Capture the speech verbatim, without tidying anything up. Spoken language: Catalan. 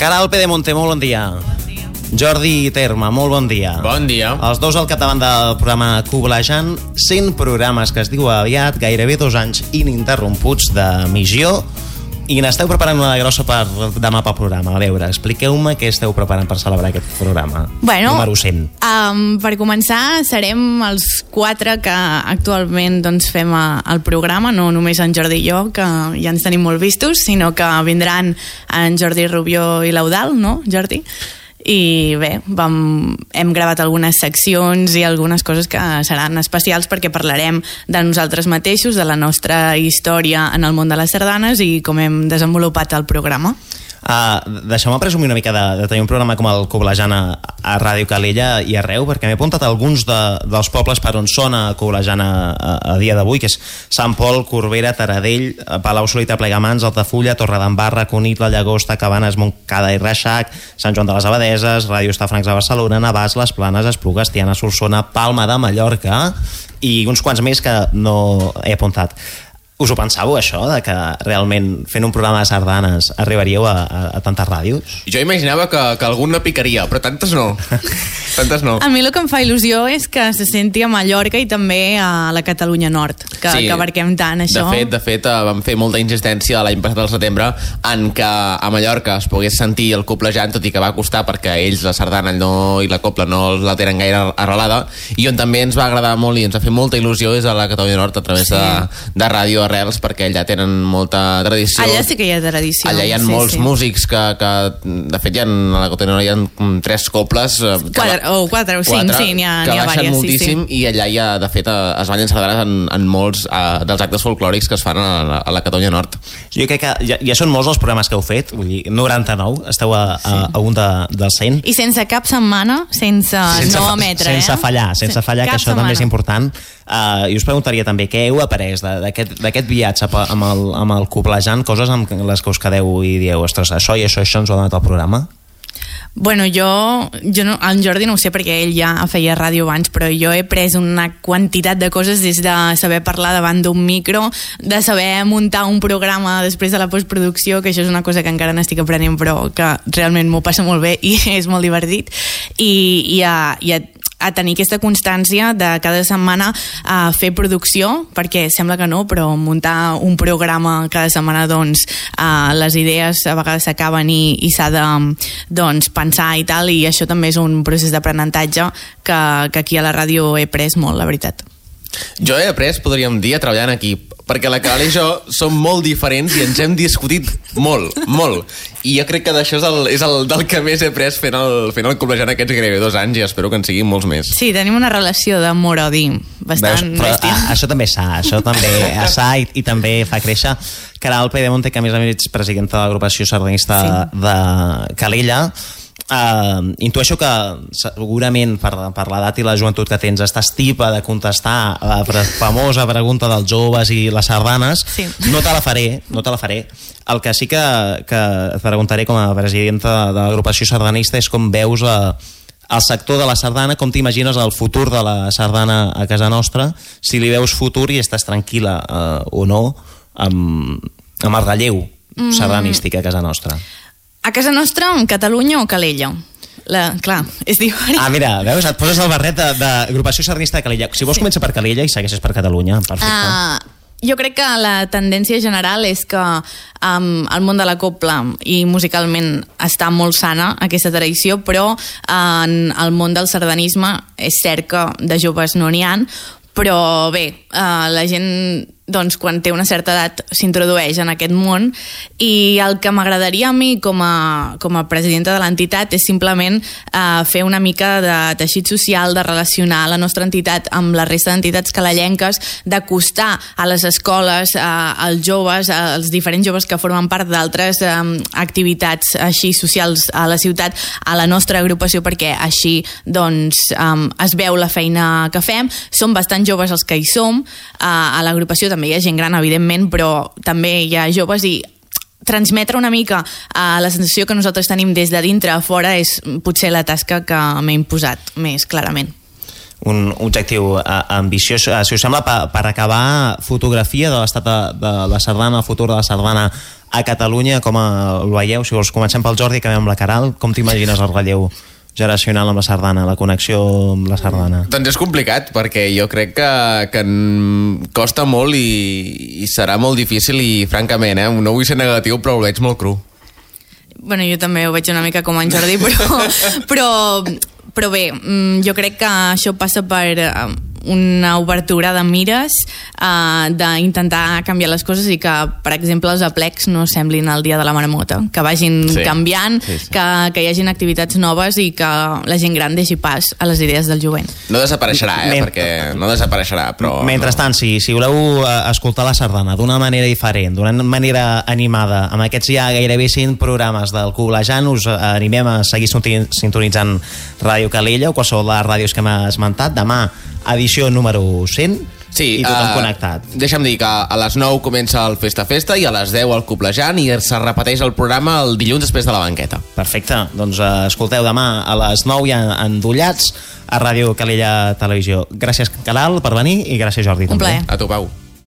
Caral Pedemonte, molt bon dia. Bon dia. Jordi Terma, molt bon dia. Bon dia. Els dos al capdavant del programa Coblejant, cent programes que es diu aviat, gairebé dos anys ininterromputs d'emissió, i n'esteu preparant una grossa per demà pel programa. A veure, expliqueu-me què esteu preparant per celebrar aquest programa. Bueno, número cent. Um, per començar, serem els quatre que actualment doncs, fem a, el programa, no només en Jordi i jo, que ja ens tenim molt vistos, sinó que vindran en Jordi Rubió i l'Eudal, no, Jordi? I bé, vam, hem gravat algunes seccions i algunes coses que seran especials perquè parlarem de nosaltres mateixos, de la nostra història en el món de les sardanes i com hem desenvolupat el programa. Uh, Deixeu-me presumir una mica de, de tenir un programa com el Coblejant a, a Ràdio Calella i arreu, perquè m'he apuntat alguns de, dels pobles per on sona Coblejant a, a, a dia d'avui, que és Sant Pol, Corbera, Taradell, Palau-solità, Plegamans, Altafulla, Torredembarra, Cunit, La Llagosta, Cabanes, Montcada i Reixac, Sant Joan de les Abadeses, Ràdio Estafrancs de Barcelona, Navàs, Les Planes, Esplugues, Tiana, Solsona, Palma de Mallorca i uns quants més que no he apuntat. Us ho pensàveu, això, de que realment fent un programa de sardanes arribaríeu a, a, a tantes ràdios? Jo imaginava que, que algun no picaria, però tantes no. Tantes no. A mi el que em fa il·lusió és que se senti a Mallorca i també a la Catalunya Nord, que, sí, que abarquem tant això. De fet, de fet, vam fer molta insistència l'any passat al setembre en que a Mallorca es pogués sentir el coblejant, tot i que va costar perquè ells la sardana no, i la copla no la tenen gaire arrelada, i on també ens va agradar molt i ens va fer molta il·lusió és a la Catalunya Nord a través sí. de, de ràdio arrels, perquè allà tenen molta tradició. Allà sí que hi ha tradició. Allà hi ha sí, molts sí. músics que, que de fet hi ha, a la Catalunya Nord hi ha tres coples quatre, va, o quatre o cinc, quatre, sí, n'hi ha, que n'hi ha baixen vàries, moltíssim, sí, sí. I allà hi ha, de fet, es ballen sardanes en, en molts uh, dels actes folclòrics que es fan a la, a la Catalunya Nord. Jo crec que ja, ja són molts els programes que heu fet, vull dir, noranta-nou, esteu a, a, a un de, del cent. I sense cap setmana, sense, sense no emetre, sense eh? fallar, sense fallar, cap que això setmana. també és important. Uh, I us preguntaria també què heu après d'aquest viatge amb el, amb el Coblejant, coses amb les que us quedeu i dieu, ostres, això i això, això ens ho ha donat el programa? Bueno, jo, jo no, en Jordi no ho sé perquè ell ja feia ràdio abans, però jo he pres una quantitat de coses des de saber parlar davant d'un micro, de saber muntar un programa després de la postproducció, que això és una cosa que encara n'estic aprenent però que realment m'ho passa molt bé i és molt divertit, i, i, a, i a a tenir aquesta constància de cada setmana a fer producció, perquè sembla que no, però muntar un programa cada setmana, doncs, uh, les idees a vegades s'acaben i, i s'ha de doncs, pensar i tal, i això també és un procés d'aprenentatge que, que aquí a la ràdio he pres molt, la veritat. Jo he après, podríem dir, a treballar en equip, perquè la Caral i jo som molt diferents i ens hem discutit molt, molt. I jo crec que d'això és, el, és el, del que més he après fent el, fent el Coblejant aquests gairebé dos anys i espero que en siguin molts més. Sí, tenim una relació d'amor-odi bastant Veus, bèstia. A, això també s'ha, això també s'ha i, i també fa créixer. Caral Pedemonte, que a més a més ets presidenta de l'agrupació sardanista sí. de Calella, Uh, intueixo que segurament per, per l'edat i la joventut que tens estàs tipa de contestar la pre famosa pregunta dels joves i les sardanes. Sí. No te la faré, no te la faré. El que sí que, que et preguntaré com a presidenta de l'agrupació sardanista és com veus a, el sector de la sardana, com t'imagines el futur de la sardana a casa nostra, si li veus futur i estàs tranquil·la uh, o no amb, amb el relleu mm. sardanístic a casa nostra. A casa nostra, en Catalunya o Calella? La, clar, és diferent. Ah, mira, veus, et poses el barret d'agrupació sardanista de Calella. Si vols sí. comença per Calella i segueixes per Catalunya, perfecte. Uh, jo crec que la tendència general és que um, el món de la copla i musicalment està molt sana, aquesta tradició, però en el món del sardanisme és cert que de joves no n'hi ha, però bé, uh, la gent doncs quan té una certa edat s'introdueix en aquest món, i el que m'agradaria a mi com a, com a presidenta de l'entitat és simplement eh, fer una mica de teixit social, de relacionar la nostra entitat amb la resta d'entitats calellenques, d'acostar a les escoles, eh, als joves, als diferents joves que formen part d'altres eh, activitats així socials a la ciutat, a la nostra agrupació, perquè així doncs eh, es veu la feina que fem. Som bastant joves els que hi som, eh, a l'agrupació també hi ha gent gran, evidentment, però també hi ha joves, i transmetre una mica uh, la sensació que nosaltres tenim des de dintre a fora és potser la tasca que m'he imposat més clarament. un objectiu uh, ambiciós. Uh, si us sembla, per, per acabar, fotografia de l'estat de, de la sardana, el futur de la sardana a Catalunya, com uh, el veieu? Si vols, comencem pel Jordi, acabem amb la Caral. Com t'imagines el relleu generacional amb la sardana, la connexió amb la sardana? Doncs és complicat, perquè jo crec que, que costa molt i, i serà molt difícil i, francament, eh, no vull ser negatiu, però ho veig molt cru. Bueno, jo també ho veig una mica com en Jordi, però, però, però bé, jo crec que això passa per una obertura de mires, uh, d'intentar canviar les coses i que, per exemple, els aplecs no semblin el dia de la marmota, que vagin sí. canviant, sí, sí. Que, que hi hagin activitats noves i que la gent gran deixi pas a les idees del jovent. No desapareixerà, eh? Men... perquè no desapareixerà, però... Mentrestant, no. si, si voleu escoltar la sardana d'una manera diferent, d'una manera animada, amb aquests ja gairebé cinc programes del Coblejant, us animem a seguir sintonitzant Ràdio Calella o qualsevol de les ràdios que hem esmentat. Demà, edició número cent, sí, i tothom uh, connectat. Deixa'm dir que a les nou comença el Festa Festa i a les deu el Coblejant i se repeteix el programa el dilluns després de la banqueta. Perfecte, doncs uh, escolteu demà a les nou ja endollats a Ràdio Calella Televisió. Gràcies, Caral, per venir i gràcies, Jordi. Un també. plaer. A tu, Pau.